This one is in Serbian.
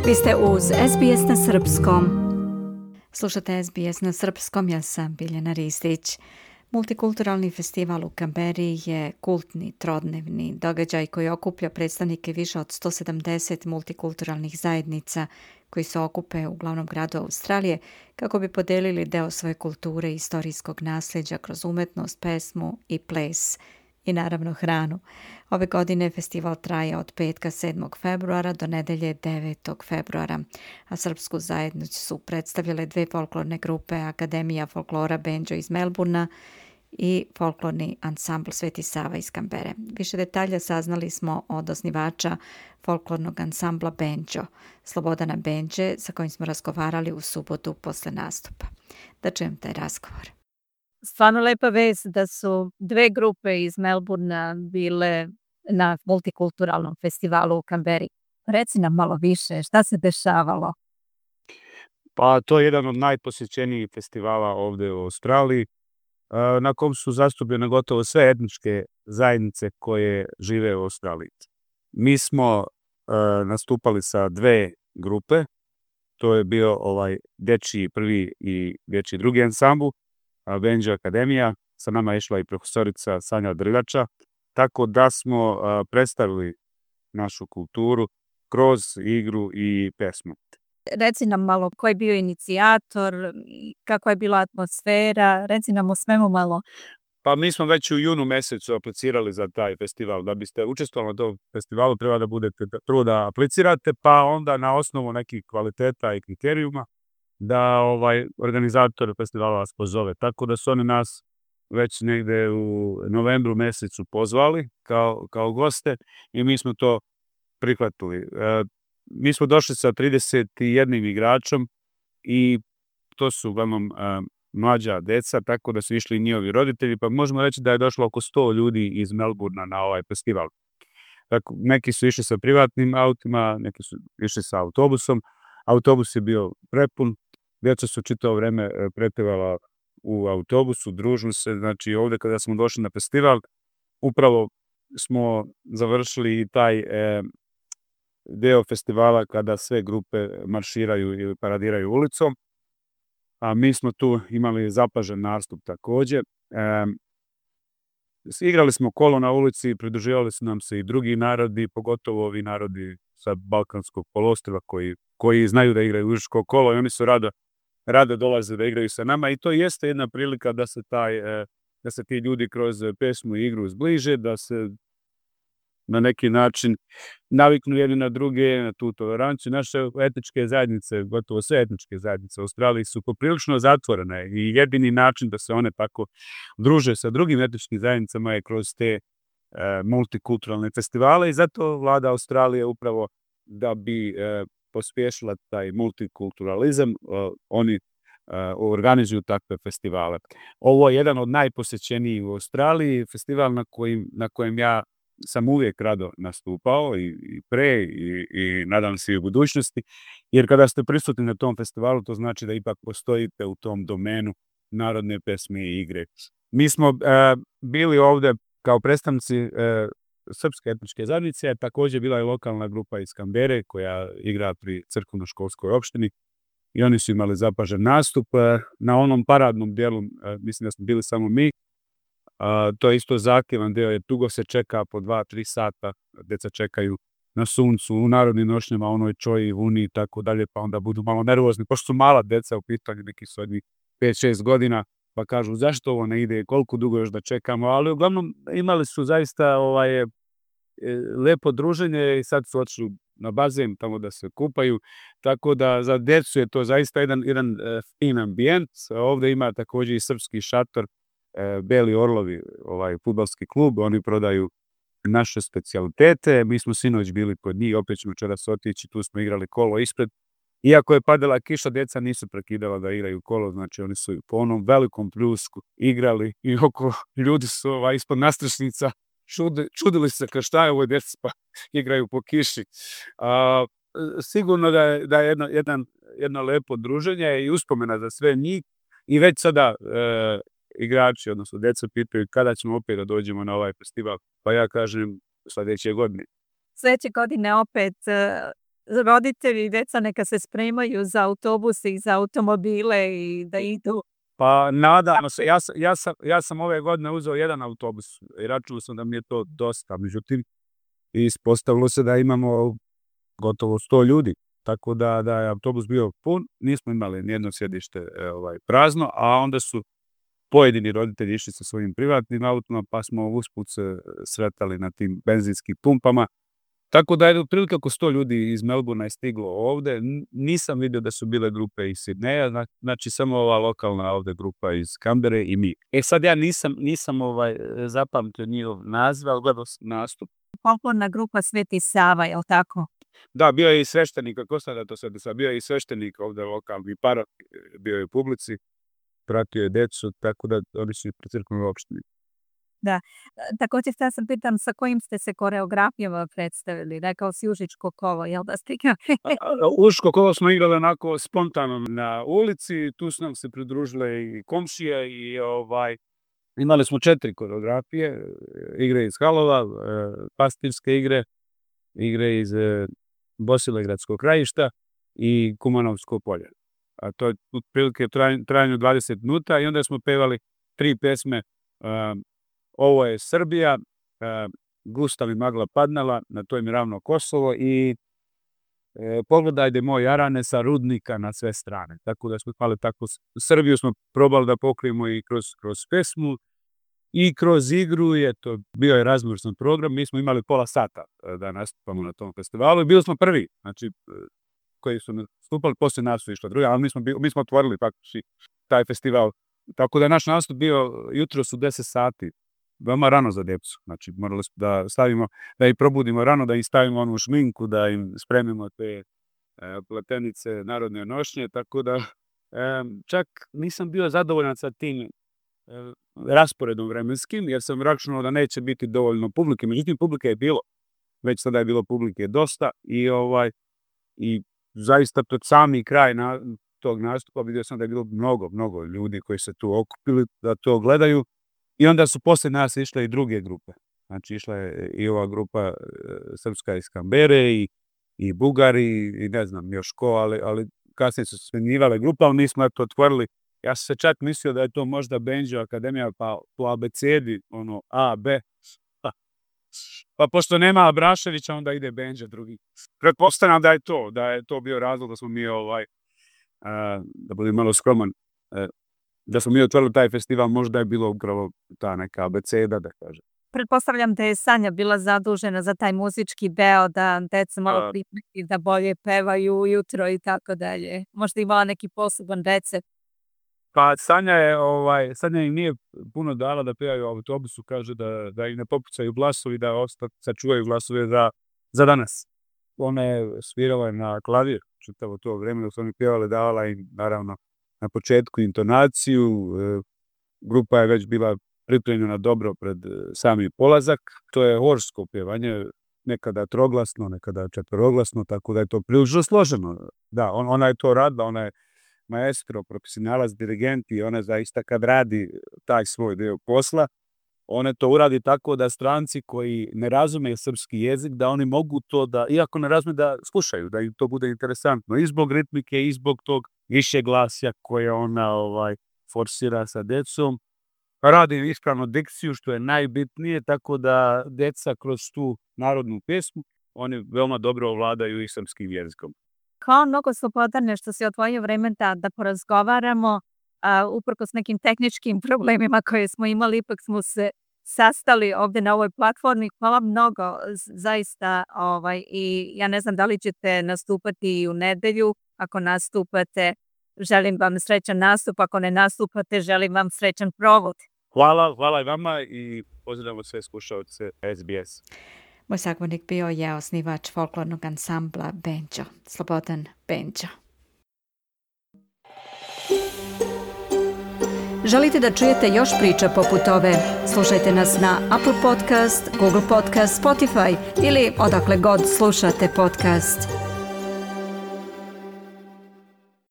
Vi ste uz SBS na Srpskom. Slušate SBS na Srpskom, ja sam Biljana Ristić. Multikulturalni festival u Canberri je kultni trodnevni događaj koji okuplja predstavnike više od 170 multikulturalnih zajednica koji se okupe u glavnom gradu Australije kako bi podelili deo svoje kulture i istorijskog nasljeđa kroz umetnost, pesmu i ples i naravno hranu. Ove godine festival traje od petka 7. februara do nedelje 9. februara, a srpsku zajednicu su predstavljale dve folklorne grupe, Akademija folklora Benđo iz Melburna i folklorni ansambl Sveti Sava iz Canberre. Više detalja saznali smo od osnivača folklornog ansambla Benđo, Slobodana Benđe, sa kojim smo razgovarali u subotu posle nastupa. Da čujem taj razgovor. Stvarno lepa vest da su dve grupe iz Melburna bile na multikulturalnom festivalu u Canberri. Reci nam malo više, šta se dešavalo? Pa to je jedan od najposjećenijih festivala ovde u Australiji, na kom su zastupljene gotovo sve etničke zajednice koje žive u Australiji. Mi smo nastupali sa dve grupe, to je bio dečiji prvi i dečiji drugi ansambl, Benđo Akademija, sa nama je išla i profesorica Sanja Drljača, tako da smo predstavili našu kulturu kroz igru i pesmu. Reci nam malo ko je bio inicijator, kakva je bila atmosfera, reci nam o svemu malo. Pa mi smo već u junu mesecu aplicirali za taj festival. Da biste učestvovali na tom festivalu treba da budete prvo da aplicirate, pa onda na osnovu nekih kvaliteta i kriterijuma da organizator festivala vas pozove. Tako da su oni nas već negde u novembru mesecu pozvali kao goste i mi smo to prihvatili. Mi smo došli sa 31 igračom i to su uglavnom mlađa deca, tako da su išli i njihovi roditelji, pa možemo reći da je došlo oko 100 ljudi iz Melburna na ovaj festival. Tako, neki su išli sa privatnim autima, neki su išli sa autobusom. Autobus je bio prepun, djeca su čitavo vreme prepevala u autobusu, družili se. Znači ovde kada smo došli na festival, upravo smo završili i taj deo festivala kada sve grupe marširaju ili paradiraju ulicom, a mi smo tu imali zapažen nastup takođe. Igrali smo kolo na ulici, pridruživali su nam se i drugi narodi, pogotovo ovi narodi sa Balkanskog poluostrva koji znaju da igraju užičko kolo i oni su rado dolaze da igraju sa nama i to jeste jedna prilika da se ti ljudi kroz pesmu i igru zbliže, da se na neki način naviknu jedni na druge, na tu toleranciju. Naše etničke zajednice, gotovo sve etničke zajednice u Australiji su poprilično zatvorene i jedini način da se one tako druže sa drugim etničkim zajednicama je kroz te multikulturalne festivale i zato vlada Australije upravo da bi pospješila taj multikulturalizam, oni organizuju takve festivale. Ovo je jedan od najposećenijih u Australiji, festival na kojem ja sam uvijek rado nastupao i pre i nadam se i u budućnosti, jer kada ste prisutni na tom festivalu, to znači da ipak postojite u tom domenu narodne pesme i igre. Mi smo bili ovde kao predstavnici srpske etničke zajednice, a također bila je lokalna grupa iz Canberre koja igra pri crkveno-školskoj opštini i oni su imali zapažen nastup. Na onom paradnom dijelu, mislim da smo bili samo mi, to je isto zahtjevan deo, jer dugo se čeka po 2-3 sata, deca čekaju na suncu, u narodnim nošnjama, onoj čoji, vuni i tako dalje, pa onda budu malo nervozni, pošto su mala deca u pitanju, neki su od njih 5-6 godina, pa kažu zašto ovo ne ide, koliko dugo još da čekamo, ali uglavnom imali su zaista lepo druženje i sad su otišli na bazen tamo da se kupaju, tako da za decu je to zaista jedan fin ambijent. Ovde ima također i srpski šator, Beli Orlovi, fudbalski klub, oni prodaju naše specijalitete, mi smo sinoć bili kod njih, opet ćemo večeras otići, tu smo igrali kolo ispred. Iako je padala kiša, djeca nisu prekidala da igraju kolo, znači oni su po onom velikom pljusku igrali i oko ljudi su ispod nastrešnica čudili se kao šta je ovo djeca pa igraju po kiši. Sigurno da je jedno lepo druženje i uspomena za sve njih i već sada igrači, odnosno djeca pitaju kada ćemo opet da dođemo na ovaj festival, pa ja kažem sljedeće godine. Sljedeće godine opet roditelji i deca neka se spremaju za autobuse i za automobile i da idu. Pa nadamo se, ja sam ove godine uzeo jedan autobus i računao sam da mi je to dosta, međutim ispostavilo se da imamo gotovo 100 ljudi, tako da je autobus bio pun, nismo imali nijedno sjedište prazno, a onda su pojedini roditelji išli sa svojim privatnim autima, pa smo usput se sretali na tim benzinskim pumpama. Tako da je otprilike oko 100 ljudi iz Melbourna je stiglo ovde. Nisam vidio da su bile grupe iz Sidneja, znači samo ova lokalna ovde grupa iz Kambere i mi. Sad ja nisam zapamtio njihov naziv, ali gledao sam nastup. Folklorna grupa Sveti Sava, je li tako? Da, bio je i sveštenik, kako sam da to sad, bio je i sveštenik ovde lokalni parok, bio je u publici, pratio je decu, tako da oni su pri crkvenoj opštini. Da. Također sam pitam sa kojim ste se koreografijama predstavili? Rekao si Užičko kolo, jel da ste igrali? Užičko kolo smo igrali onako spontano na ulici, tu su nam se pridružile i komšije i imali smo 4 koreografije, igre iz halova, pastirske igre iz Bosilegradskog krajišta i Kumanovsko polje. A to je otprilike trajanju 20 minuta i onda smo pevali 3 pesme. Ovo je Srbija, Gustav i magla padnala, na to mi ravno Kosovo i Pogledajde moj Jarane sa rudnika na sve strane. Tako da smo imali tako, Srbiju smo probali da pokrijemo i kroz pesmu i kroz igru, bio je raznovrstan program, mi smo imali pola sata da nastupamo na tom festivalu i bili smo prvi, znači koji su nastupali, poslije nas su išli drugi, ali mi smo otvorili praktički taj festival. Tako da je naš nastup bio jutros u 10 sati, veoma rano za djecu. Znači morali smo da stavimo, da ih probudimo rano, da im stavimo onu šminku, da im spremimo te pletenice narodne nošnje, tako da čak nisam bio zadovoljan sa tim rasporedom vremenskim, jer sam računao da neće biti dovoljno publike. Međutim, publike je bilo, već sada je bilo publike dosta i zaista pred sami kraj tog nastupa vidio sam da je bilo mnogo ljudi koji se tu okupili da to gledaju i onda su posle nas išle i druge grupe. Znači išla je i ova grupa srpska iz Kambere i Bugari i ne znam još ko, ali kasnije su smenjivale grupa, ali mi smo to otvorili. Ja sam se čak mislio da je to možda Benđo Akademija, pa po abecedi, A, B. Pa pošto nema Abraševića, onda ide Benđa drugi. Pretpostavljam da je to bio razlog da smo mi, da budem malo skroman, da smo mi otvorili taj festival, možda je bilo upravo ta neka abeceda, da kažem. Pretpostavljam da je Sanja bila zadužena za taj muzički deo, da deca malo pripremi, da bolje pevaju ujutro i tako dalje. Možda imala neki poseban recept. Pa Sanja im nije puno dala da pevaju u autobusu, kaže da im ne popucaju glasovi, da sačuvaju glasove za danas. Ona je svirala na klavir čitavo to vreme dok su oni pjevali, davala im naravno na početku intonaciju, grupa je već bila pripremljena dobro pred sami polazak. To je horsko pjevanje, nekada troglasno, nekada četveroglasno, tako da je to prilično složeno. Da, ona je to radila, ona je maestro, profesionalac, dirigent i ona zaista kad radi taj svoj deo posla, ona to uradi tako da stranci koji ne razumeju srpski jezik, da oni mogu to da, iako ne razumeju, da slušaju, da im to bude interesantno. I zbog ritmike, i zbog tog više glasja koje ona forsira sa decom. Radi ispravno dikciju, što je najbitnije, tako da deca kroz tu narodnu pesmu, oni veoma dobro ovladaju i srpskim jezikom. Hvala mnogo slobodarne što si odvojio vreme da porazgovaramo. Uprkos nekim tehničkim problemima koje smo imali, ipak smo se sastali ovde na ovoj platformi. Hvala mnogo, zaista. I ja ne znam da li ćete nastupati i u nedelju. Ako nastupate, želim vam srećan nastup. Ako ne nastupate, želim vam srećan provod. Hvala i vama i pozdravljamo sve slušaoce SBS. Moj sagovornik bio je osnivač folklornog ansambla Benđo, Slobodan Benđo. Želite da čujete još priča poput ove? Slušajte nas na Apple Podcast, Google Podcast, Spotify ili odakle god slušate podcast.